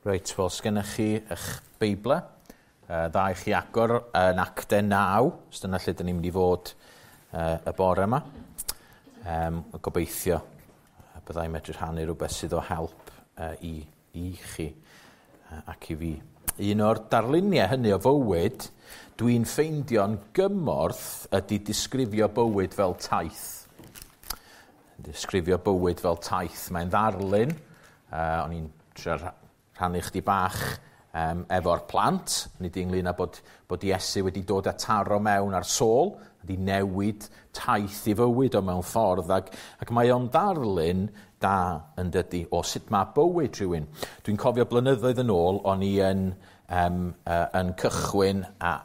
Reit, wel, sgennych chi eich Beiblau. Dda i chi agor yn Actau 9, os dyna lle dyn ni'n mynd i fod y bore yma. Gobeithio byddai'n medru rhannu rhywbeth sydd o help i chi ac i fi. Un o'r darluniau hynny o fywyd dwi'n ffeindio'n gymorth ydy disgrifio bywyd fel taith. Disgrifio bywyd fel taith. Mae'n ddarlun. O'n i'n trio rhannu chdi bach efo'r plant, nid ynglyn â bod Iesu wedi dod â taro mewn ar Saul, wedi newid taith i fywyd o mewn ffordd, ac mae o'n ddarlun da yn dydy o sut mae bywyd rhywun. Dwi'n cofio blynyddoedd yn ôl, o'n i yn cychwyn a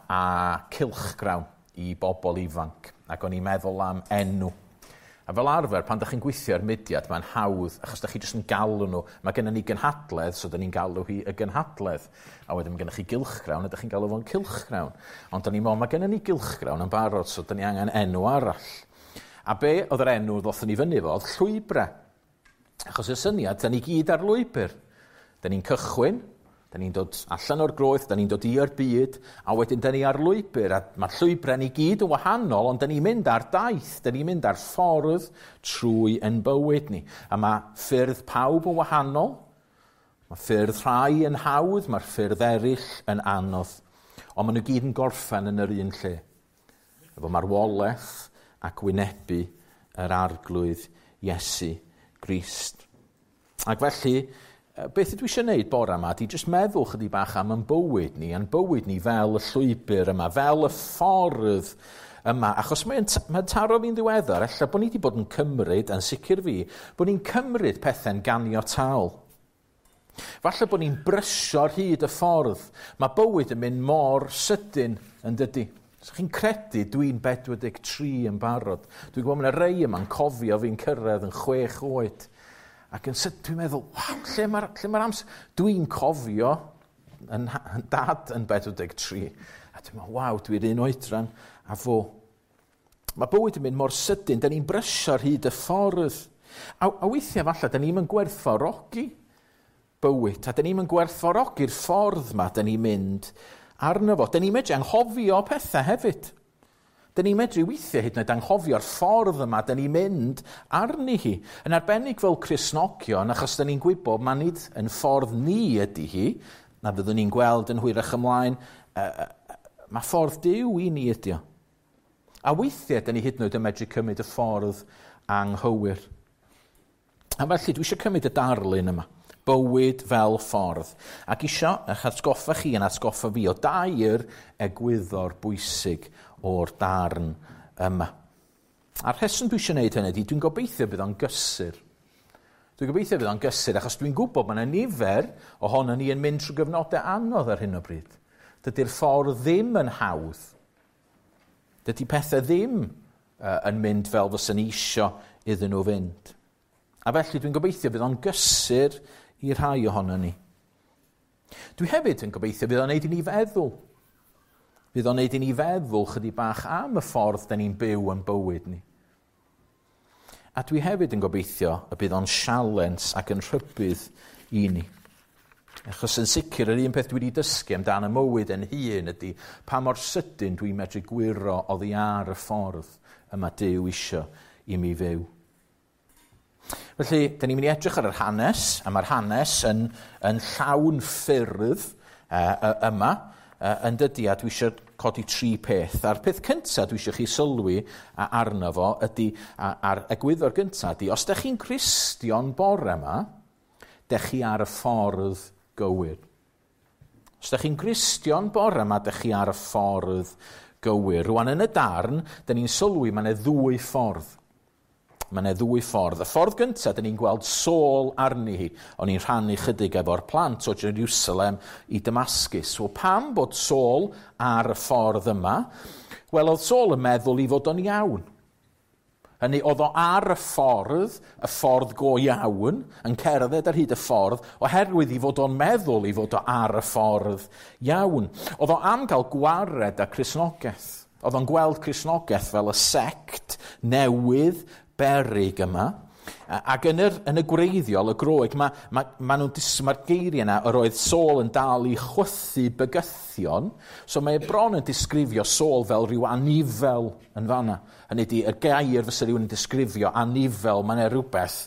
cylchgrawn i bobl ifanc, ac o'n i'n meddwl am enw. A fel arfer, pan dach chi'n gweithio ar mudiad, mae'n hawdd, achos dach chi jyst yn galw nhw. Mae gennym ni gynhadledd, so dyn ni'n galw hi y gynhadledd. A wedyn mae gennych chi gylchgrawn, a dych chi'n galw fo'n cylchgrawn. Ond dyn ni'n meddwl, mae gennym ni gylchgrawn yn barod, so dyn ni angen enw arall. A be oedd yr enw ddothon ni fyny fo, oedd Llwybrau. Achos y syniad, dyn ni gyd ar lwybr. Dyn ni'n cychwyn, dyn ni'n dod allan o'r groeth, dyn ni'n dod i'r byd, a wedyn dyn ni ar lwybr, a mae'r llwybrau ni gyd yn wahanol, ond dyn ni'n mynd ar daith, dyn ni'n mynd ar ffordd trwy ein bywyd ni. A mae ffyrdd pawb yn wahanol, mae ffyrdd rhai yn hawdd, mae'r ffyrdd eraill yn anodd, ond maen nhw gyd yn gorffen yn yr un lle. Efo marwolaeth ac wynebu yr Arglwydd Iesu Grist. Ac felly, beth ydw i eisiau gwneud bore yma ydy jyst meddwl chydig bach am ein bywyd ni, a'n bywyd ni fel y llwybr yma, fel y ffordd yma, achos mae'n taro fi'n ddiweddar, ella bod ni wedi bod yn cymryd, yn sicr fi, bod ni'n cymryd pethau'n ganiataol. Falle bod ni'n brysio ar hyd y ffordd. Mae bywyd yn mynd mor sydyn yn dydy. So chi'n credu dwi'n 43 yn barod. Dwi'n gwybod mae yna rei yma'n cofio fi'n cyrraedd yn 6 oed. Ac yn sydyn dwi'n meddwl, waw, lle mae'r amser? Dwi'n cofio yn dad yn 43. A dwi'n meddwl, waw, dwi'n un oedran a fo. Mae bywyd yn mynd mor sydyn, da ni'n brysio ar hyd y ffordd. A weithiau falle, da ni'n gwerthfawrogi bywyd, a da ni'n gwerthfawrogi'r ffordd ma da ni'n mynd arno fo. Da ni'n medru anghofio pethau hefyd. Da ni'n medru weithiau hyd yn oed anghofio'r ffordd yma da ni'n mynd arni hi. Yn arbennig fel Cristnogion, achos da ni'n gwybod mae nid yn ffordd ni ydy hi, na fyddwn ni'n gweld yn hwyrach ymlaen, mae ffordd Duw i ni ydy o. A weithiau da ni hyd yn oed yn medru cymryd y ffordd anghywir. A felly dwi eisiau cymryd y darlun yma, bywyd fel ffordd. Ac eisiau eich atgoffa chi yn atgoffa fi o dair egwyddor bwysig o'r darn yma. A'r rheswm dwi eisiau gwneud hynny ydy, dwi'n gobeithio bydd o'n gysur. Dwi'n gobeithio bydd o'n gysur, achos dwi'n gwybod mae yna nifer ohono ni yn mynd trwy gyfnodau anodd ar hyn o bryd. Dydy'r ffordd ddim yn hawdd. Dydy pethau ddim yn mynd fel fysa ni isio iddyn nhw fynd. A felly dwi'n gobeithio bydd o'n gysur i rhai ohono ni. Dwi hefyd yn gobeithio bydd o'n neud i ni feddwl. Bydd o'n neud i ni feddwl chydig bach am y ffordd da ni'n byw yn bywyd ni. A dwi hefyd yn gobeithio y bydd o'n sialens ac yn rhybudd i ni. Achos yn sicr, yr un peth dwi wedi dysgu amdan y mywyd yn hun ydy pa mor sydyn dwi'n medru gwyro oddi ar y ffordd yma Duw isio i mi fyw. Felly, da ni'n mynd i edrych ar yr hanes, a mae'r hanes yn llawn ffyrdd yma, yn dydy, a dwi eisiau codi tri peth. A'r peth cyntaf dwi eisiau chi sylwi arno fo ydy, a'r egwyddor gyntaf ydy, os da chi'n Gristion bore yma, da chi ar y ffordd gywir. Os da chi'n Gristion bore yma, da chi ar y ffordd gywir. Rwan yn y darn, da ni'n sylwi mae yna ddwy ffordd. Mae yna ddwy ffordd. Y ffordd gyntaf, dyn ni'n gweld Saul arni hi. O'n i'n rhannu chydig efo'r plant o Jerusalem i Damascus. Wel, pam bod Saul ar y ffordd yma? Wel, oedd Saul yn meddwl i fod o'n iawn. Hynny, oedd o ar y ffordd go iawn, yn cerdded ar hyd y ffordd, oherwydd i fod o'n meddwl i fod o ar y ffordd iawn. Oedd o am gael gwared â Cristnogaeth. Oedd o'n gweld Cristnogaeth fel y sect newydd beryg yma. Ac yn y gwreiddiol, y Groeg, mae'r geiriau yna, yr oedd Saul yn dal i chwythu bygythion, so mae bron yn disgrifio Saul fel rhyw anifel yn fanna. Hynny ydi, y gair fysa rhywun yn disgrifio anifel, mae yna rhywbeth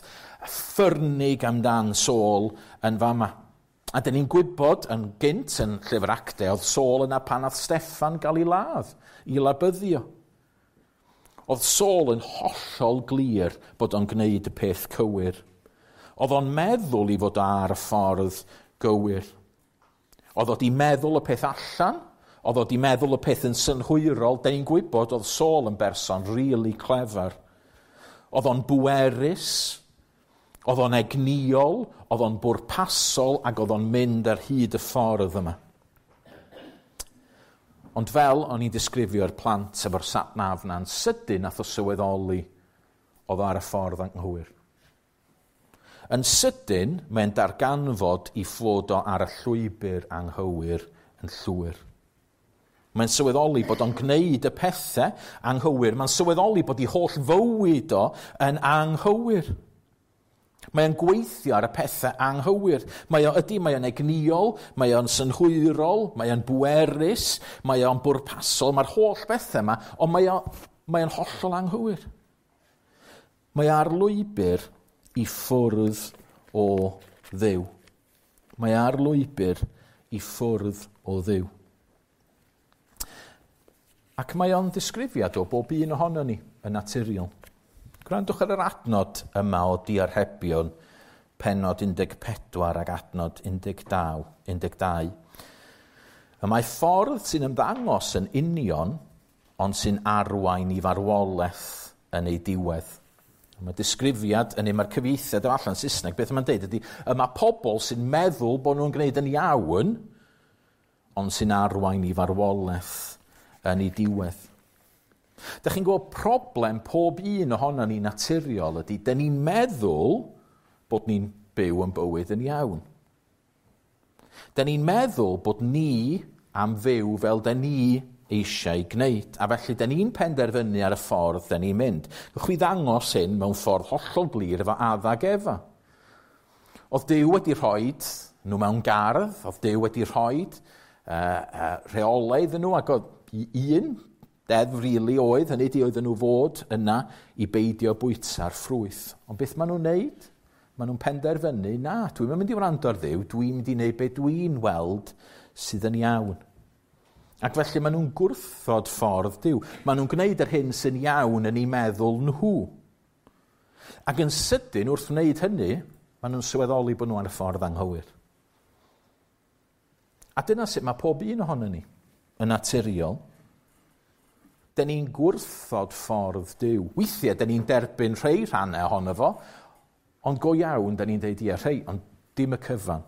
ffyrnig amdan Saul yn fama. A dyn ni'n gwybod yn gynt yn llyfr Actau, oedd Saul yna pan nath Steffan gael ei ladd, i labyddio. Oedd Saul yn hollol glir bod o'n gwneud y peth cywir. Oedd o'n meddwl i fod ar y ffordd gywir. Oedd o 'di meddwl y peth allan, oedd o 'di meddwl y peth yn synhwyrol. Da ni'n gwybod oedd Saul yn berson really clever. Oedd o'n bwerus, oedd o'n egnïol, oedd o'n bwrpasol ac oedd o'n mynd ar hyd y ffordd yma. Ond fel o'n i'n disgrifio'r plant efo'r sat-nav na'n sydyn nath o sylweddoli oedd o ar y ffordd anghywir. Yn sydyn, mae'n darganfod i fod o ar y llwybr anghywir yn llwyr. Mae'n sylweddoli bod o'n gwneud y pethau anghywir. Mae'n sylweddoli bod ei holl fywyd o yn anghywir. Mae'n gweithio ar y pethau anghywir. Mae o'n egnïol, mae o'n synhwyrol, mae o'n bwerus, mae o'n bwrpasol, mae'r holl bethau yma, ond mae o'n hollol anghywir. Mae ar lwybr i ffwrdd o Dduw. Mae ar lwybr i ffwrdd o Dduw. Ac mae o'n ddisgrifiad o bob un ohono ni yn naturiol. Gwrandwch ar yr adnod yma o Diarhebion, pennod 14 ac adnod 12. Y mae ffordd sy'n ymddangos yn union, ond sy'n arwain i farwolaeth yn ei diwedd. Mae disgrifiad yn ei, mae'r cyfieithiad o allan Saesneg, beth mae'n deud ydy, y mae pobl sy'n meddwl bod nhw'n gwneud yn iawn, ond sy'n arwain i farwolaeth yn ei diwedd. Dych chi'n gweld problem pob un ohono ni naturiol ydy, dyn ni'n meddwl bod ni'n byw yn bywyd yn iawn. Dyn ni'n meddwl bod ni am fyw fel dyn ni eisiau gwneud, a felly dyn ni'n penderfynu ar y ffordd dyn ni'n mynd. Gewch chi ddangos hyn mewn ffordd hollol glir efo Adda ac Efa. Oedd Duw wedi rhoi nhw mewn gardd, oedd Duw wedi rhoi rheolau iddyn nhw, ac oedd un deddf rili oedd, hynny ydi oedden nhw fod yna i beidio bwyta'r ffrwyth. Ond beth maen nhw'n neud? Maen nhw'n penderfynu, na, dwi'n mynd i wrando ar Dduw, dwi'n mynd i wneud be dwi'n weld sydd yn iawn. Ac felly maen nhw'n gwrthod ffordd Duw. Maen nhw'n gwneud yr hyn sy'n iawn yn eu meddwl nhw. Ac yn sydyn, wrth wneud hynny, maen nhw'n sylweddoli bod nhw ar y ffordd anghywir. A dyna sut mae pob un ohono ni yn naturiol. Dyn ni'n gwrthod ffordd Duw. Weithiau, dyn ni'n derbyn rhai rhannau ohono fo, ond go iawn, dyn ni'n deud ie, rhai, ond dim y cyfan.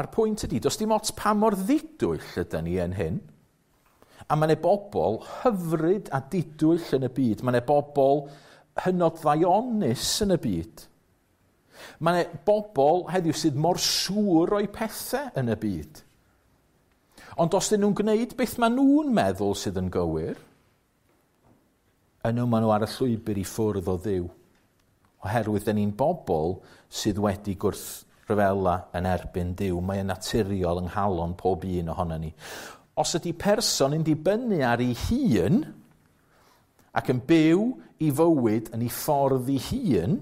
A'r pwynt ydy, does dim ots pa mor ddidwyll ydyn ni yn hyn. A mae yna bobl hyfryd a didwyll yn y byd. Mae yna bobl hynod ddaionus yn y byd. Mae yna bobl heddiw sydd mor siŵr o'i pethau yn y byd. Ond os dyn nhw'n gwneud beth maen nhw'n meddwl sydd yn gywir, yno maen nhw ar y llwybr i ffwrdd o Dduw. Oherwydd dyn ni'n bobl sydd wedi gwrthryfela yn erbyn Duw. Mae yn naturiol yng nghalon pob un ohono ni. Os ydy person yn dibynnu ar ei hun ac yn byw i fywyd yn ei ffordd ei hun,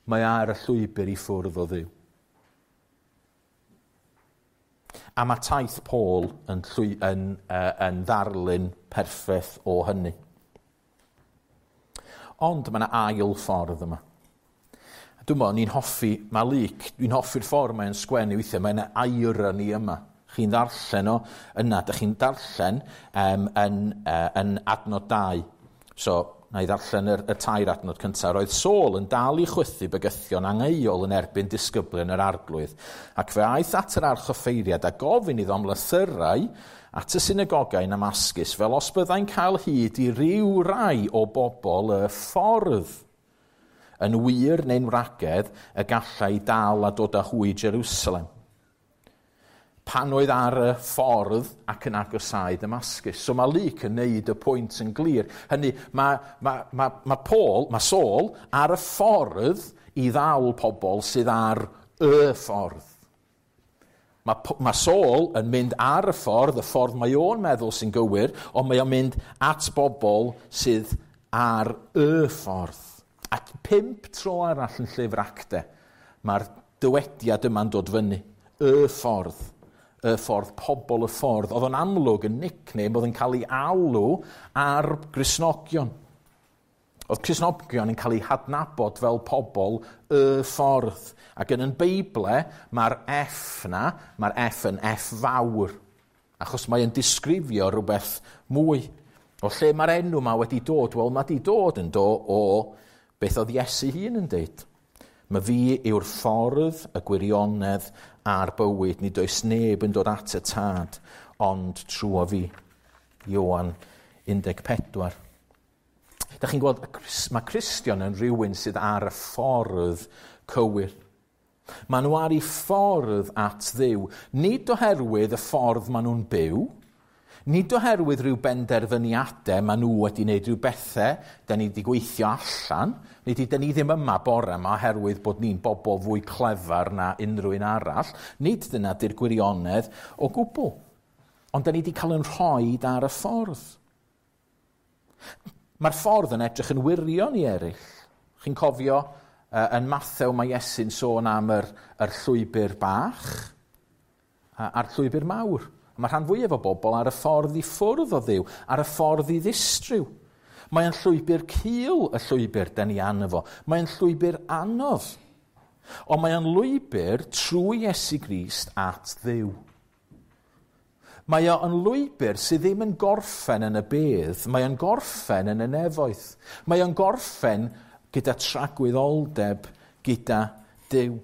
mae ar y llwybr i ffwrdd o Dduw. A mae taith Paul yn ddarlun perffaith o hynny. Ond mae yna ail ffordd yma. Dwi'n meddwl, ni'n hoffi, mae Luc, dwi'n hoffi'r ffordd mae'n sgwennu weithiau, mae yna irony yma. Chi'n ddarllen o yna, dych chi'n darllen yn adnod 2. So, na i ddarllen y tair adnod cyntaf. Roedd Saul yn dal i chwythu bygythion angheuol yn erbyn disgyblion yr arglwydd, ac fe aeth at yr archoffeiriad a gofyn iddo am lythyrau at y synagogau yn Damascus, fel os byddai'n cael hyd i ryw rai o bobl y ffordd. Yn wir neu'n wragedd y gallai dal a dod â hwy i Jerusalem. pan oedd ar y ffordd ac yn agosáu Damascus. So mae Luc yn neud y pwynt yn glir. Hynny, mae Paul, mae Saul ar y ffordd i ddal pobl sydd ar y ffordd. Mae Saul yn mynd ar y ffordd mae o'n meddwl sy'n gywir, ond mae o'n mynd at bobl sydd ar y ffordd. At 5 tro arall yn llyfr Actau, mae'r dywediad yma'n dod fyny. Y ffordd. Y ffordd, pobl y ffordd. Oedd o'n amlwg yn nickname, oedd yn cael ei alw ar Gristnogion. Oedd Cristnogion yn cael ei hadnabod fel pobl y ffordd. Ac yn Beible, mae'r F na, mae'r F yn F fawr. Achos mae'n disgrifio rhywbeth mwy. O lle mae'r enw yma wedi dod? Wel, mae wedi dod yn do o beth oedd Iesu hun yn deud. Mae fi yw'r ffordd, y gwirionedd a'r bywyd. Nid oes neb yn dod at y tad, ond trwy fi. Ioan 14. Da chi'n gweld, mae Cristion yn rhywun sydd ar y ffordd cywir. Maen nhw ar eu ffordd at Dduw, nid oherwydd y ffordd maen nhw'n byw, nid oherwydd rhyw benderfyniadau maen nhw wedi wneud rhyw bethau da ni wedi gweithio allan, nid da ni ddim yma bore yma oherwydd bod ni'n bobl fwy clefar na unrhyw un arall, nid dyna di'r gwirionedd o gwbl. Ond da ni wedi cael yn rhoi ar y ffordd. Mae'r ffordd yn edrych yn wirion i eraill. Chi'n cofio yn Mathew mae Iesu'n sôn am yr llwybr bach a'r llwybr mawr. Mae rhan fwyaf o bobl ar y ffordd i ffwrdd o Dduw, ar y ffordd i ddistryw. Mae'n llwybr cul y llwybr da ni arno fo. Mae'n llwybr anodd. Ond mae'n lwybr trwy Iesu Grist at Dduw. Mae o yn lwybr sydd ddim yn gorffen yn y bedd, mae o'n gorffen yn y nefoedd. Mae o'n gorffen gyda tragwyddoldeb gyda Duw.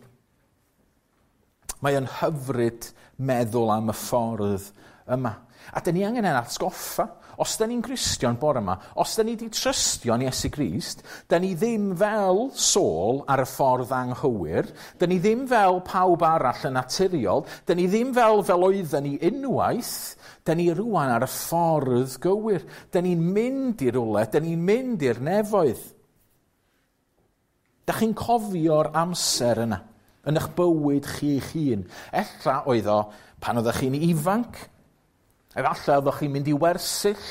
Mae o'n hyfryd meddwl am y ffordd yma. A dyn ni angen ein atgoffa. Os da ni'n Gristion bore yma, os da ni wedi trystio yn Iesu Grist, da ni ddim fel Saul ar y ffordd anghywir, da ni ddim fel pawb arall yn naturiol, da ni ddim fel oedden ni unwaith, da ni rŵan ar y ffordd gywir. Da ni'n mynd i rywle, da ni'n mynd i'r nefoedd. Da chi'n cofio'r amser yna, yn eich bywyd chi'ch hun. Ella oedd o pan oeddech chi'n ifanc, efallai oeddech chi'n mynd i wersyll,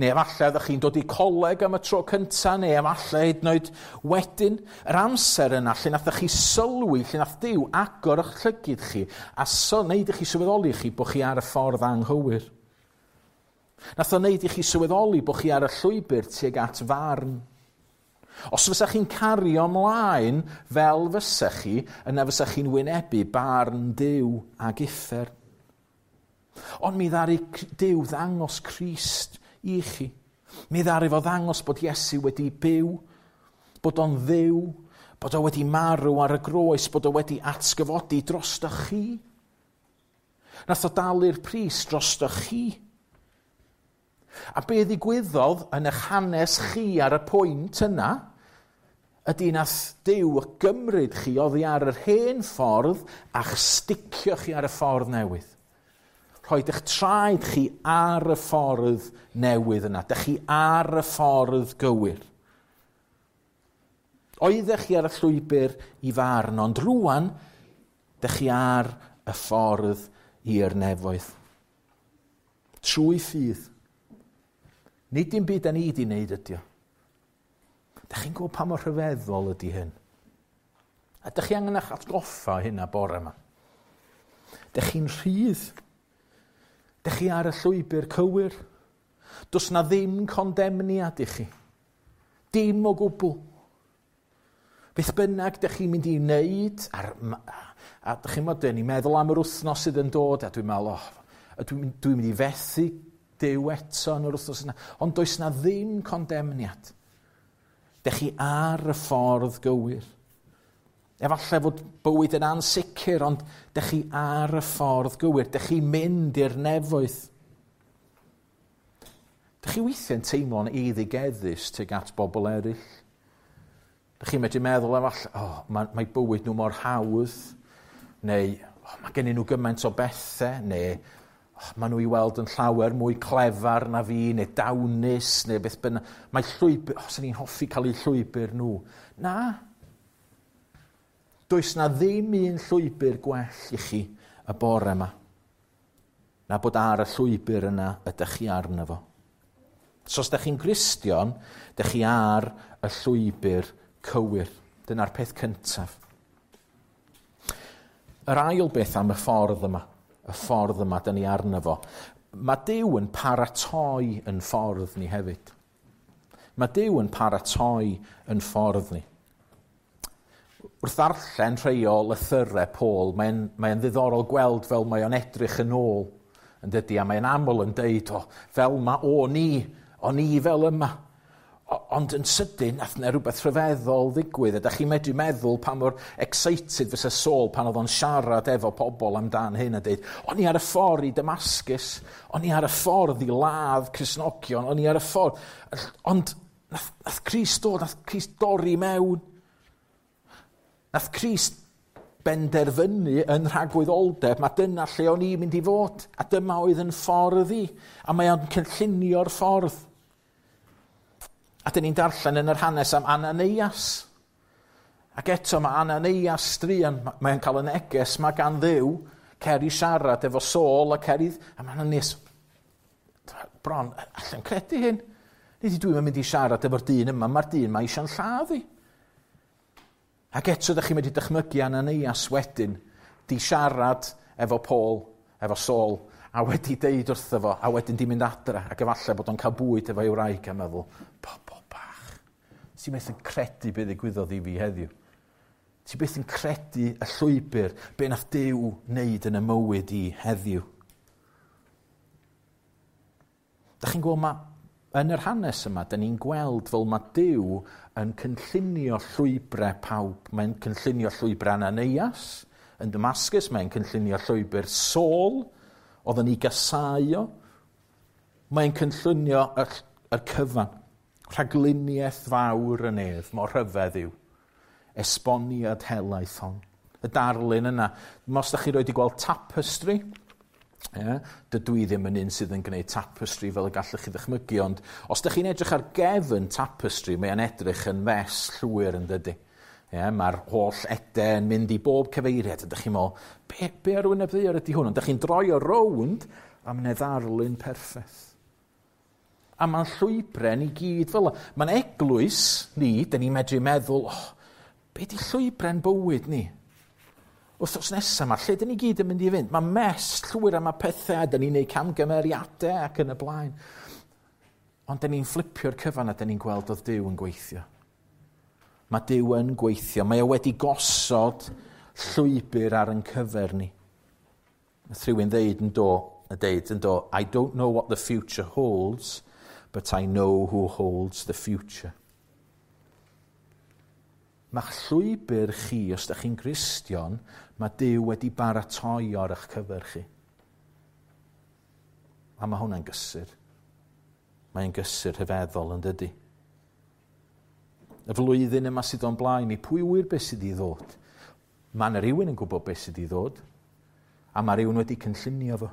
neu efallai oeddech chi'n dod i coleg am y tro cyntaf, neu efallai hyd yn oed wedyn. Yr amser yna lle nath chi sylwi, lle nath Duw agor eich llygid chi, a wneud i chi sylweddoli chi bod chi ar y ffordd anghywir. Nath o wneud i chi sylweddoli bod chi ar y llwybr tuag at farn. Os fysa chi'n cario ymlaen fel fysa chi, yna fysa chi'n wynebu barn Duw ag uffern. Ond mi ddaru Duw ddangos Crist i chi. Mi ddaru fo ddangos bod Iesu wedi byw, bod o'n Dduw, bod o wedi marw ar y groes, bod o wedi atgyfodi drosto chi. Nath o dalu'r pris drosto chi. A be ddigwyddodd yn eich hanes chi ar y pwynt yna, ydy nath Duw gymryd chi oddi ar yr hen ffordd a'ch sticio chi ar y ffordd newydd. Rhoid eich traed chi ar y ffordd newydd yna. Dych chi ar y ffordd gywir. Oeddech chi ar y llwybr i farn, ond rŵan, dych chi ar y ffordd i'r nefoedd. Trwy ffydd. Nid dim byd da ni wedi wneud ydy o. Dych chi'n gwybod pa mor rhyfeddol ydy hyn? A dych chi angen eich atgoffa hynna bore yma. Dych chi'n rhydd. Dych chi ar y llwybr cywir. Does na ddim condemniad i chi. Dim o gwbl. Beth bynnag dych chi'n mynd i wneud, a dych chi'n meddwl, ni'n meddwl am yr wythnos sydd yn dod, a dwi'n meddwl, oh, dwi'n mynd i fethu Duw eto yn yr wythnos yna. Ond does na ddim condemniad. Dych chi ar y ffordd gywir. Efallai fod bywyd yn ansicr, ond dych chi ar y ffordd gywir. Dych chi'n mynd i'r nefoedd. Dych chi weithiau'n teimlo'n eiddigeddus tuag at bobl eraill. Dych chi'n medru meddwl efallai, oh, mae bywyd nhw mor hawdd, neu Oh, mae gennyn nhw gymaint o bethau, neu oh, maen nhw i weld yn llawer mwy clefar na fi, neu dawnus, neu beth bynnag. Mae llwybr, oh, sy'n ni'n hoffi cael eu llwybr nhw. Na. Does na ddim un llwybr gwell i chi y bore yma. Na bod ar y llwybr yna ydych chi arno fo. So os ydych chi'n Gristion, ydych chi ar y llwybr cywir. Dyna'r peth cyntaf. Yr ail beth am y ffordd yma, y ffordd yma dyn ni arno fo, mae Duw yn paratoi yn ffordd ni hefyd. Mae Duw yn paratoi yn ffordd ni. Wrth ddarllen rhai o lythyrau Paul, mae'n ddiddorol gweld fel mae o'n edrych yn ôl, yn dydy, a mae'n aml yn deud, o, fel ma o'n i, o'n i fel yma. Ond yn sydyn, nath yna rhywbeth rhyfeddol ddigwydd. A da chi'n medru meddwl pa mor excited fysa Saul pan oedd o'n siarad efo pobl amdan hyn a deud, o'n i ar y ffordd i Damascus, o'n i ar y ffordd i ladd Cristnogion, o'n i ar y ffordd. Ond nath Crist dod, nath Crist dorri mewn. Nath Crist benderfynu yn rhagwyddoldeb, mae dyna lle o'n i'n mynd i fod, a dyma oedd yn ffordd i, a mae o'n cynllunio'r ffordd. A dyn ni'n darllen yn yr hanes am Ananias. Ac eto mae Ananias druan, mae'n cael y neges mae gan Dduw, cer i siarad efo Saul a cer i... A mae Ananias, bron, allan credu hyn. Nid dwi'n mynd i siarad efo'r dyn yma, mae'r dyn yma eisiau'n lladd i. Ac eto, ydych chi'n mynd i dychmygu Ananias wedyn, di siarad efo Paul, efo Saul, a wedi deud wrtho fo, a wedyn di mynd adra, ac efallai bod o'n cael bwyd efo'i wraig a meddwl, pobol bach, ti'n methu credu beth ddigwyddodd i fi heddiw. Ti byth yn credu y llwybr, be nath Duw wneud yn y mywyd i heddiw. Da chi'n gweld mae yn yr hanes yma, da ni'n gweld fel mae Duw yn cynllunio llwybrau pawb. Mae'n cynllunio llwybrau Ananias yn Damascus, mae'n cynllunio llwybr Saul, oedd yn ei gasau o. Mae'n cynllunio y cyfan. Rhagluniaeth fawr y nef, mor rhyfedd yw. Esboniad helaeth hon. Y darlun yna. Os da chi roed i gweld tapestry, yeah, dydw i ddim yn un sydd yn gwneud tapestry fel y gallwch chi ddychmygu, ond os da chi'n edrych ar gefn tapestry, mae'n edrych yn fes llwyr yn dydy. Yeah, mae'r holl ede yn mynd i bob cyfeiriad, a dych chi'n meddwl, be ar wyneb ddaear ydy hwn? Ond dych chi'n droi o rownd, a mae'n ddarlun perffaith. A mae'n llwybrau ni gyd fel yna. Mae'n eglwys ni, dyn ni'n medru meddwl, oh, be di llwybrau'n bywyd ni? Wythnos nesaf yma, lle dyn ni gyd yn mynd i fynd? Mae mes llwyr am y pethau, dyn ni'n neud camgymeriadau ac yn y blaen. Ond dyn ni'n fflipio'r cyfan a dyn ni'n gweld oedd Duw yn gweithio. Mae Duw yn gweithio. Mae o wedi gosod llwybr ar yn cyfer ni. Nath rhywun ddeud yn do, I don't know what the future holds, but I know who holds the future. Mae'ch llwybr chi, os ydych chi'n Gristion, mae Duw wedi baratoi ar eich cyfer chi. A mae hwnna'n gysur. Mae'n gysur rhyfeddol yn dydy. Y flwyddyn yma sydd o'n blaen ni, pwy ŵyr beth sydd i ddod? Mae yna rhywun yn gwybod beth sydd i ddod, a mae rhywun wedi cynllunio fo.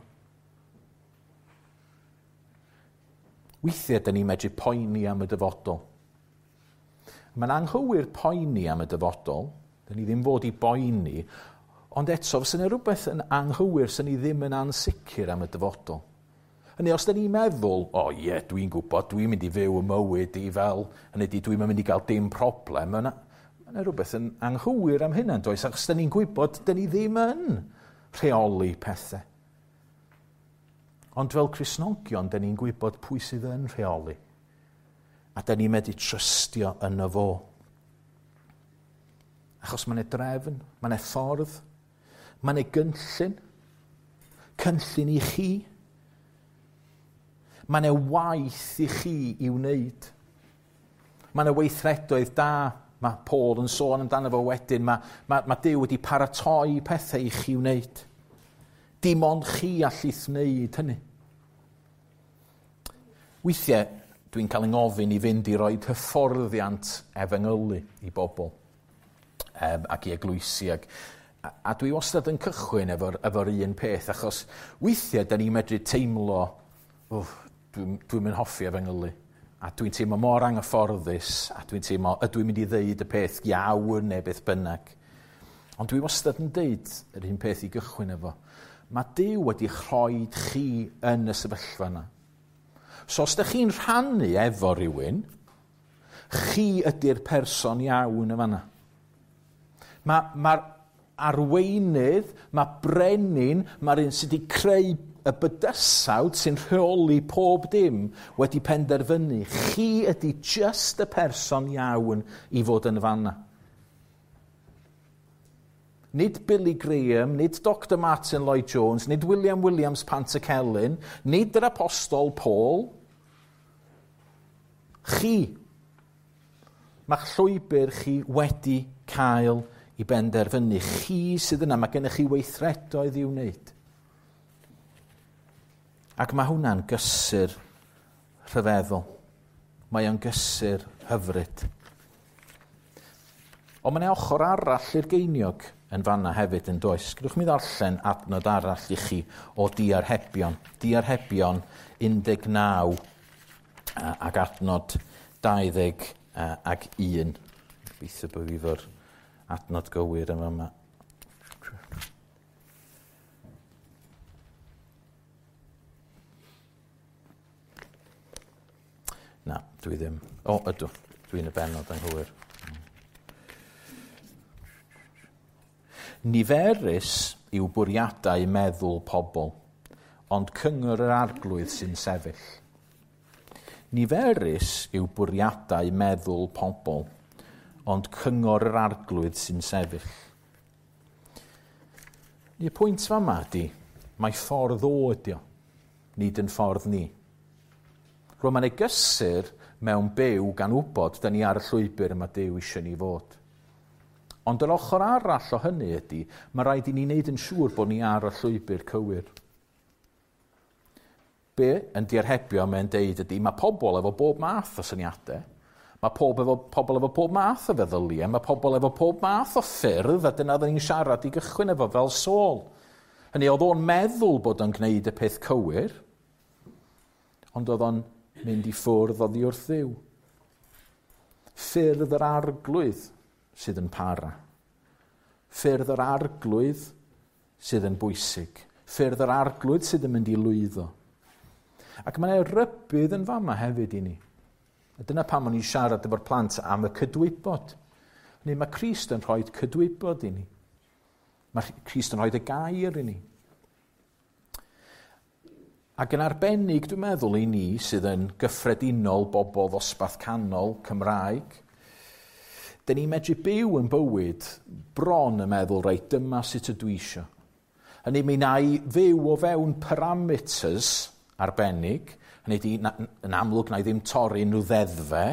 Weithiau, dyn ni'n medru poeni am y dyfodol. Mae'n anghywir poeni am y dyfodol, dyn ni ddim fod i boeni, ond eto, fysa yna rhywbeth yn anghywir sy'n ni ddim yn ansicr am y dyfodol. Hynny, os dyn ni'n meddwl, o oh, ie, yeah, dwi'n gwybod, dwi'n mynd i fyw y mywyd i fel, hynny di, dwi'n mynd i gael dim problem, mae yna rhywbeth yn anghywir am hynna, does? Achos dyn ni'n gwybod, dyn ni ddim yn rheoli pethau. Ond fel Cristnogion, dyn ni'n gwybod pwy sydd yn rheoli. A dyn ni'n medru trystio yno fo. Achos mae'n drefn, mae'n ffordd, mae'n gynllun, cynllun i chi. Mae'n waith i chi i wneud. Mae'n weithredoedd da. Mae Paul yn sôn amdano fo wedyn. Mae Duw wedi paratoi pethau i chi wneud. Dim ond chi allith wneud hynny. Weithiau, dwi'n cael 'y ngofyn i fynd i roed hyfforddiant efengylu i bobl ac i eglwysi. A dwi wastad yn cychwyn efo'r efo un peth, achos weithiau da ni'n medru teimlo, oh, dwi'n dwi mynd hoffi efengylu. A dwi'n teimlo mor anghyfforddus, a dwi'n teimlo, ydw i'n mynd i ddeud y peth iawn neu beth bynnag. Ond dwi wastad yn deud yr un peth i gychwyn efo. Mae Duw wedi rhoi chi yn y sefyllfa yna. So os ydych chi'n rhannu efo rhywun, chi ydy'r person iawn y fanna. Mae'r ma arweinydd, mae brenin, mae'r un sydd wedi creu y bydysawd sy'n rheoli pob dim wedi penderfynu. Chi ydy just y person iawn i fod yn fanna. Nid Billy Graham, nid Dr Martin Lloyd Jones, nid William Williams Pantycelyn, nid yr Apostol Paul. Chi. Mae'ch llwybr chi wedi cael i benderfynu. Chi sydd yna, mae gennych chi weithredoedd i'w wneud. Ac mae hwnna'n gysur rhyfeddol. Mae o'n gysur hyfryd. Ond mae'n ochr arall i'r geiniog yn fanna hefyd yn does. Gydwch mi ddarllen adnod arall i chi o Diarhebion. Diarhebion 19 ac adnod 20 ac 1. Gobeithio bod fi fo'r adnod gywir yn yma. Na, dwi ddim. O, ydw. Dwi'n y benod anghywir. Niferus yw bwriadau meddwl pobl, ond cyngor yr arglwydd sy'n sefyll. Niferus yw bwriadau meddwl pobl, ond cyngor yr arglwydd sy'n sefyll. Y pwynt fama ydy, mae ffordd o ydi o, nid yn ffordd ni. Rwy'n mae'n ei gysur mewn byw gan wybod da ni ar y llwybr yma Duw eisiau ni fod. Ond yr ochr arall o hynny ydy, mae rhaid i ni wneud yn siŵr bod ni ar y llwybr cywir. Be yn diarhebio mae'n deud ydy, mae pobl efo bob math o syniadau, mae pob efo, pobl efo pob math o feddyliau, mae pobl efo pob math o ffyrdd, a dyna oedden ni'n siarad i gychwyn efo fel Saul. Hynny, oedd o'n meddwl bod o'n gwneud y peth cywir, ond oedd o'n mynd i ffwrdd oddi wrth Dduw. Ffyrdd yr arglwydd sydd yn para. Ffyrdd yr arglwydd sydd yn bwysig. Ffyrdd yr arglwydd sydd yn mynd i lwyddo. Ac mae'n rybudd yn fama hefyd i ni. A dyna pam o'n i'n siarad efo'r plant am y cydwybod. Neu mae Crist yn rhoi cydwybod i ni. Mae Crist yn rhoi y gair i ni. Ac yn arbennig, dwi'n meddwl, i ni sydd yn gyffredinol bobl ddosbarth canol Cymraeg, dyn ni'n medru byw yn bywyd bron yn meddwl, reit, dyma sut ydw i isio. Hynny, mi na i fyw o fewn parameters arbennig, hynny di, yn amlwg na i ddim torri nhw ddeddfe,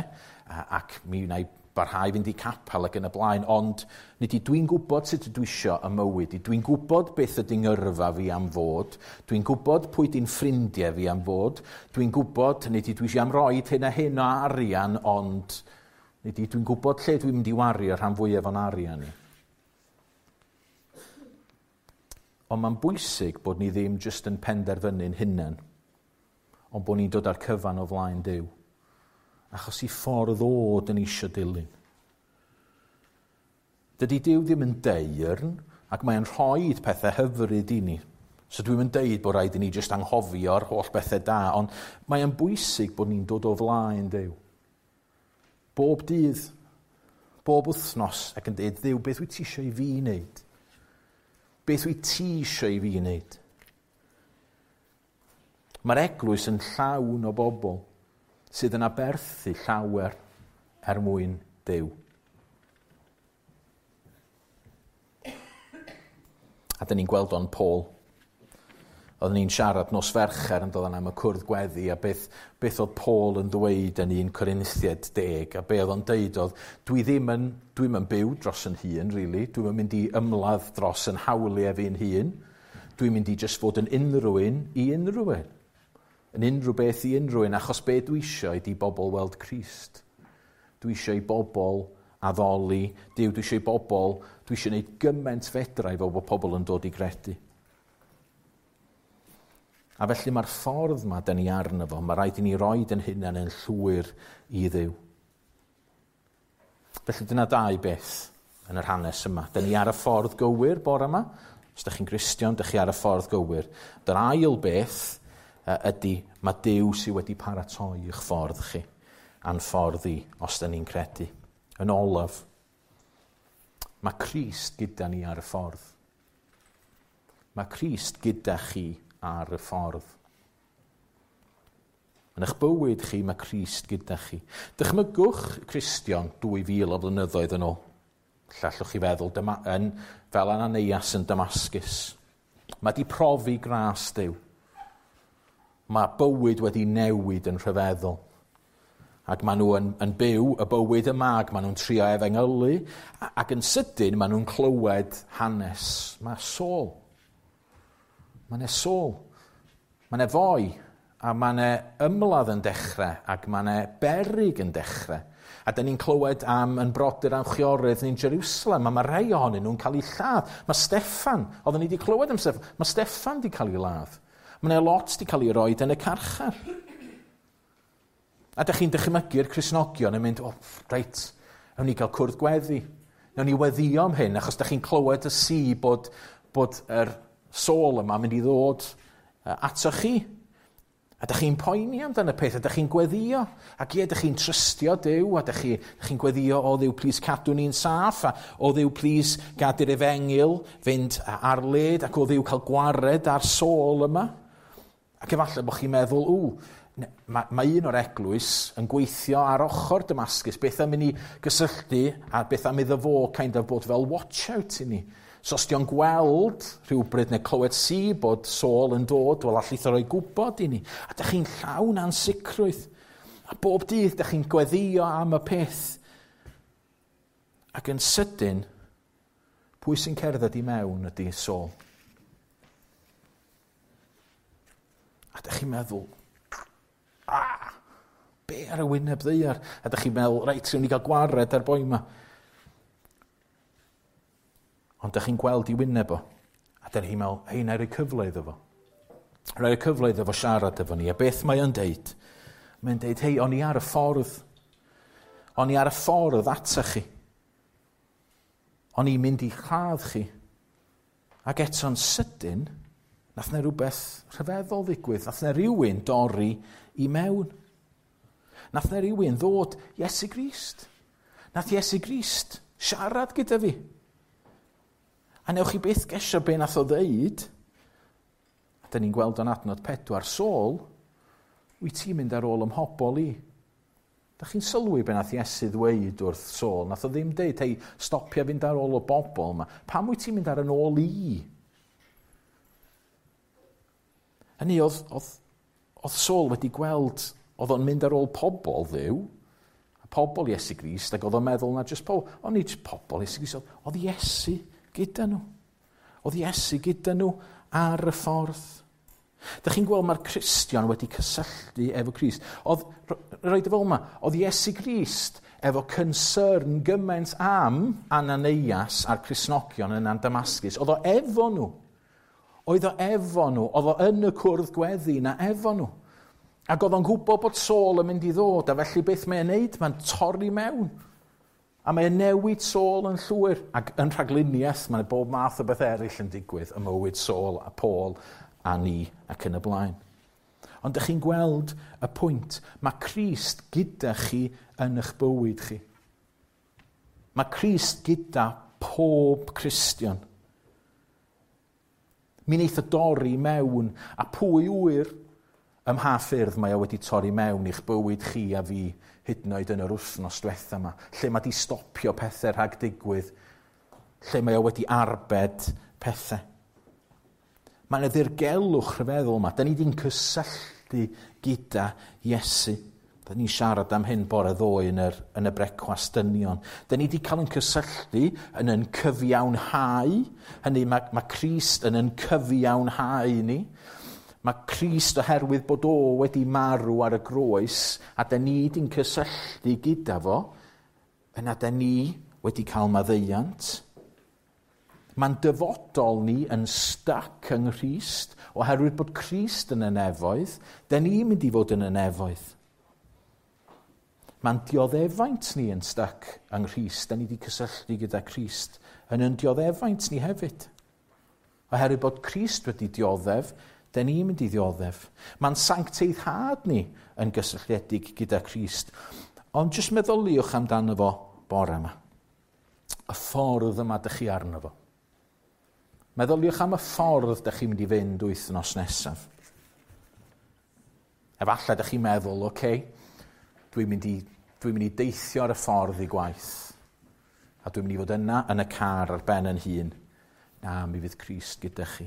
ac mi wna i barhau fynd i capel ac yn y blaen, ond nid i dwi'n gwybod sut ydw isio y mywyd i, dwi'n gwybod beth ydy ngyrfa fi am fod, dwi'n gwybod pwy di'n ffrindiau fi am fod, dwi'n gwybod, nid i dwi eisiau am roed hyn a hyn o arian, ond nid i dwi'n gwybod lle dwi'n mynd i wario rhan fwyaf o'n arian i. Ond mae'n bwysig bod ni ddim jyst yn penderfynu'n hunain, ond bod ni'n dod â'r cyfan o flaen Duw. Achos i ffordd o dyn ni eisiau dilyn. Dydy Duw ddim yn deyrn, ac mae'n rhoi pethau hyfryd i ni. So dwi'n mynd deud bod rhaid i ni jyst anghofio'r holl bethau da, ond mae'n bwysig bod ni'n dod o flaen Duw. Bob dydd, bob wythnos, ac yn deud, Dduw, beth wyt ti eisiau i fi wneud? Beth wyt ti eisiau i fi wneud? Mae'r eglwys yn llawn o bobl sydd yn aberthu llawer er mwyn Duw. A dyn ni'n gweld o'n Paul. Oedden ni'n siarad nos Fercher yn dod am y cwrdd gweddi a beth, beth oedd Paul yn ddweud yn 1 Corinthiaid 10 a be oedd o'n deud oedd dwi ddim yn, dwi'm yn byw dros yn hun, really. Dwi'm yn mynd i ymladd dros yn hawliau fi'n hun. Dwi'n mynd i just fod yn unrhyw un i unrhyw un. Yn unrhyw beth i unrhyw un, achos be dwi eisiau ydy bobl weld Crist. Dwi eisiau i bobl addoli Duw, dwi eisiau i bobl, dwi eisiau gwneud gymaint fedra i fel bod pobl yn dod i gredu. A felly mae'r ffordd yma da ni arno fo, mae rhaid i ni roed yn hunain yn llwyr i Dduw. Felly dyna dau beth yn yr hanes yma. Da ni ar y ffordd gywir bore yma. Os da chi'n Gristion, da chi ar y ffordd gywir. Dy'r ail beth ydy, mae Duw sydd wedi paratoi i'ch ffordd chi, a'n ffordd i, os da ni'n credu. Yn olaf, mae Crist gyda ni ar y ffordd. Mae Crist gyda chi ar y ffordd. Yn eich bywyd chi, mae Crist gyda chi. Dychmygwch Cristion 2000 o flynyddoedd yn ôl. Lle allwch chi feddwl, dyma, yn, fel Ananias yn Damascus. Mae di profi gras Duw. Mae bywyd wedi newid yn rhyfeddol. Ac maen nhw yn byw y bywyd yma, ac maen nhw'n trio efengylu, ac yn sydyn maen nhw'n clywed hanes. Mae Saul. Mae 'na Saul. Mae 'na foi, a mae 'na ymladd yn dechrau, ac mae 'na beryg yn dechrau. A da ni'n clywed am yn brodyr a'n chwiorydd ni'n Jerusalem, a mae rhai ohonyn nhw'n cael eu lladd. Mae Steffan, oedden ni wedi clywed am Steffan, mae Steffan wedi cael ei ladd. Mae 'na lot wedi cael ei roed yn y carchar. A da chi'n dychmygu'r Cristnogion yn mynd, oh, reit, nawn ni gael cwrdd gweddi. Nawn ni weddio am hyn, achos da chi'n clywed y si bod yr Saul yma mynd i ddod ato chi. A da chi'n poeni amdano y peth, a da chi'n gweddio. Ac ie, da chi'n trystio Duw, a da chi'n gweddio, o Dduw, plis cadw ni'n saff, a o Dduw, plis gad i'r efengyl fynd ar led, ac o Dduw cael gwared ar Saul yma. Ac efallai bod chi'n meddwl, mae un o'r eglwys yn gweithio ar ochr Damascus, beth am i ni gysylltu, a beth am iddo fo kind of bod fel watch out i ni. So os di o'n gweld rhywbryd neu clywed si bod Saul yn dod, wel allith o roi gwybod i ni. A dych chi'n llawn ansicrwydd. A bob dydd dych chi'n gweddio am y peth. Ac yn sydyn, pwy sy'n cerdded i mewn ydy Saul. A dych chi'n meddwl, be ar y wyneb ddaear? A dych chi'n meddwl, reit, rwy'n ni gael gwared ar boi yma. Ond dych chi'n gweld i wyneb o. A dych chi'n meddwl, hei, na i roi cyfle iddo fo. Rhoi cyfle iddo fo siarad efo ni. A beth mae o'n deud? Mae'n deud, hei, o'n i ar y ffordd. O'n i ar y ffordd atach chi. O'n i'n mynd i lladd chi. Ac eto'n sydyn, nath na rhywbeth rhyfeddol ddigwydd. Nath na rhywun dorri i mewn. Nath na rhywun ddod Iesu Grist. Nath Iesu Grist siarad gyda fi. A newch chi byth gesio be nath o ddeud, a da ni'n gweld o'n adnod 4, Saul, wyt ti'n mynd ar ôl ymhobol i? Da chi'n sylwi be nath Iesu ddweud wrth Saul? Nath o ddim deud, hei, stopia fynd ar ôl y bobl yma. Pam wyt ti'n mynd ar yn ôl i? Hynny, oedd Saul wedi gweld, oedd o'n mynd ar ôl pobl Dduw, pobl Iesu Grist, ac oedd o'n meddwl na jyst pobl, ond nid pobl Iesu Grist, oedd Iesu gyda nhw. Oedd Iesu gyda nhw ar y ffordd. Dych chi'n gweld mae'r Cristion wedi cysylltu efo Crist. Oedd, roed y fel yma, oedd Iesu Grist efo concern gymaint am Ananias a'r Cristnogion yn Damascus. Oedd o efo nhw. Oedd o efo nhw. Oedd o yn y cwrdd gweddi na efo nhw. Ac oedd o'n gwybod bod Saul yn mynd i ddod, a felly beth mae'n neud? Mae'n torri mewn. A mae'n newid Saul yn llwyr. Ac yn rhagluniaeth, mae'n bob math o beth eraill yn digwydd ym mywyd Saul a Paul a ni ac yn y blaen. Ond ydych chi'n gweld y pwynt. Mae Crist gyda chi yn eich bywyd chi. Mae Crist gyda pob Cristion. Mi wneith o dorri mewn, a pwy ŵyr ym mha ffyrdd mae o wedi torri mewn i'ch bywyd chi a fi, hyd yn oed yn yr wythnos diwetha yma, lle mae di stopio pethau rhag digwydd, lle mae o wedi arbed pethau. Mae yna ddirgelwch rhyfeddol yma. Da ni di'n cysylltu gyda Iesu. Da ni'n siarad am hyn bore ddoe yn y brecwast dynion. Da ni wedi cael yn cysylltu yn cyfiawnhau. Hynny, mae Crist yn cyfiawnhau ni. Mae Crist oherwydd bod o wedi marw ar y groes, a da ni di'n cysylltu gyda fo, Yna da ni wedi cael maddeuant. Mae'n dyfodol ni yn stuck yng Nghrist, oherwydd bod Crist yn y nefoedd, da ni'n mynd i fod yn y nefoedd. Mae'n dioddefaint ni yn stuck yng Nghrist, da ni wedi cysylltu gyda Crist yn dioddefaint ni hefyd. Oherwydd bod Crist wedi dioddef, da ni'n mynd i ddioddef. Mae'n sancteiddhad ni yn gysylltiedig gyda Crist. Ond jyst meddyliwch amdano fo bore yma. Y ffordd yma dych chi arno fo. Meddyliwch am y ffordd dych chi'n mynd i fynd wythnos nesaf. Efallai dych chi'n meddwl, oce, okay, dwi'n mynd i deithio ar y ffordd i gwaith. A dwi'n mynd i fod yna yn y car ar ben yn hun. Na, mi fydd Crist gyda chi.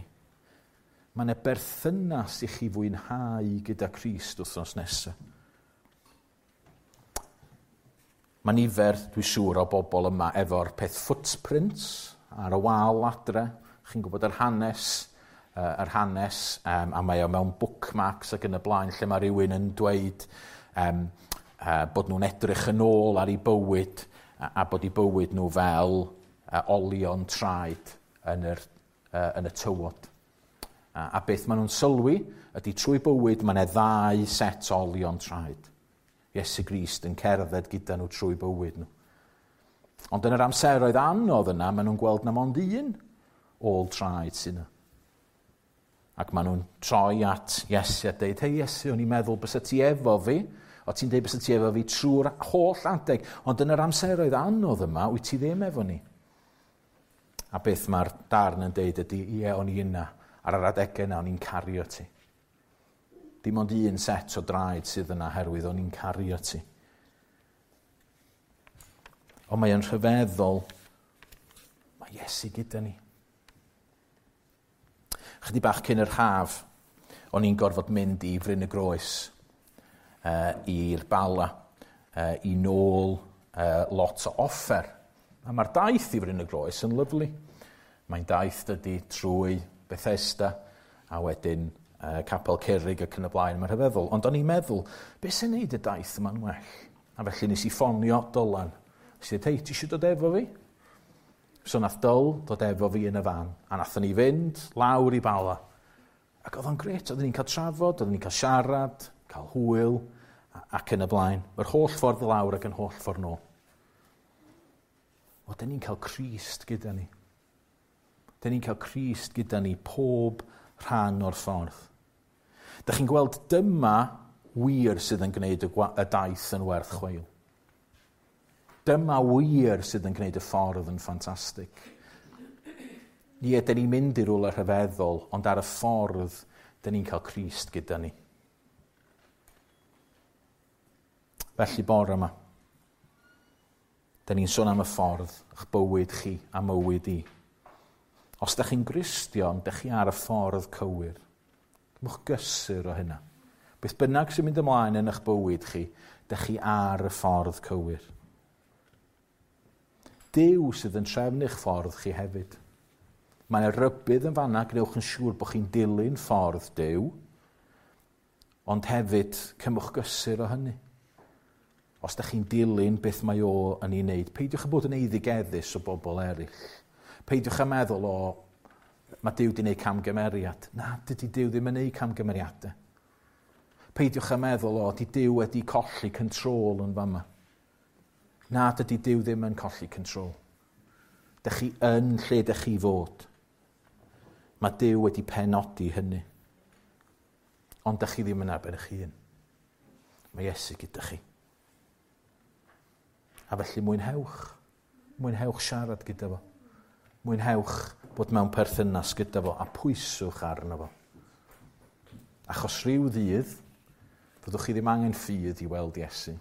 Mae yna berthynas i chi fwynhau gyda Crist wythnos nesaf. Mae nifer, dwi'n siŵr, o bobl yma efo'r peth footprints ar y wal adre. Chi'n gwybod yr hanes, a mae o mewn bookmarks ac yn y blaen, lle mae rhywun yn dweud bod nhw'n edrych yn ôl ar eu bywyd a bod eu bywyd nhw fel olion traed yn y tywod. A beth maen nhw'n sylwi ydy trwy bywyd mae yna ddau set o olion traed. Iesu Grist yn cerdded gyda nhw trwy bywyd nhw. Ond yn yr amseroedd anodd yna, maen nhw'n gweld na mond un ôl traed sydd yna. Ac maen nhw'n troi at Iesu a deud, hei Iesu, o'n i'n meddwl bysa ti efo fi, o ti'n deud bysa ti efo fi trwy'r holl adeg, ond yn yr amseroedd anodd yma, wyt ti ddim efo ni. A beth mae'r darn yn deud ydy, ie, o'n i yna, ar yr adegau yna, o'n i'n cario ti. Dim ond un set o draed sydd yna herwydd o'n i'n cario ti. Ond mae o'n rhyfeddol, mae Iesu gyda ni. Chydig bach cyn yr haf, o'n i'n gorfod mynd i Fryn y Groes, i'r Bala, i nôl lot o offer. A mae'r daith i Fryn y Groes yn lyfli. Mae'n daith dydy trwy Bethesda, a wedyn Capel Curig ac yn y blaen, mae'n rhyfeddol. Ond o'n i'n meddwl, beth sy'n neud y daith yma'n well? A felly nes i ffonio Dylan. Nes i dweud, hei, ti eisiau dod efo fi? So nath Dyl dod efo fi yn y fan, a nathon ni fynd lawr i Bala. Ac oedd o'n gret, oedden ni'n cael trafod, oedden ni'n cael siarad, cael hwyl, ac yn y blaen. Yr holl ffordd lawr ac yn holl ffordd nôl. Oedden ni'n cael Crist gyda ni. Oedden ni'n cael Crist gyda ni pob rhan o'r ffordd. Dach chi'n gweld dyma wir sydd yn gwneud y daith yn werth chweil. Dyma wir sydd yn gwneud y ffordd yn ffantastig. Ie, dyn ni'n mynd i rywle rhyfeddol, ond ar y ffordd, dyn ni'n cael Crist gyda ni. Felly bore yma, dyn ni'n sôn am y ffordd, eich bywyd chi a mywyd i. Os dych chi'n Gristion, dych chi ar y ffordd cywir. Cymwch gysur o hynna. Beth bynnag sy'n mynd ymlaen yn eich bywyd chi, dych chi ar y ffordd cywir. Duw sydd yn trefnu'ch ffordd chi hefyd. Mae yna rybudd yn fanna, gwnewch yn siŵr bod chi'n dilyn ffordd Duw, ond hefyd cymwch gysur o hynny. Os dych chi'n dilyn beth mae o yn ei wneud, peidiwch â bod yn eiddigeddus o bobl eraill. Peidiwch â meddwl, o, mae Duw wedi gwneud camgymeriad. Na, dydy Duw ddim yn gwneud camgymeriadau. Peidiwch â meddwl, o, di Duw wedi colli control yn fama. Na, dydy Duw ddim yn colli control. Dych chi yn lle dych chi fod. Mae Duw wedi penodi hynny. Ond dych chi ddim yn ar ben eich hun. Mae Iesu gyda chi. A felly mwynhewch. Mwynhewch siarad gyda fo. Mwynhewch bod mewn perthynas gyda fo a pwyswch arno fo. Achos rhyw ddydd, fyddwch chi ddim angen ffydd i weld Iesu.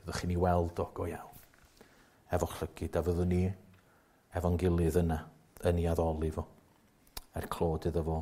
Fyddwch chi'n ei weld o go iawn. Efo'ch llygid, a fyddwn ni efo'n gilydd yna yn ei addoli fo. Er clod iddo fo.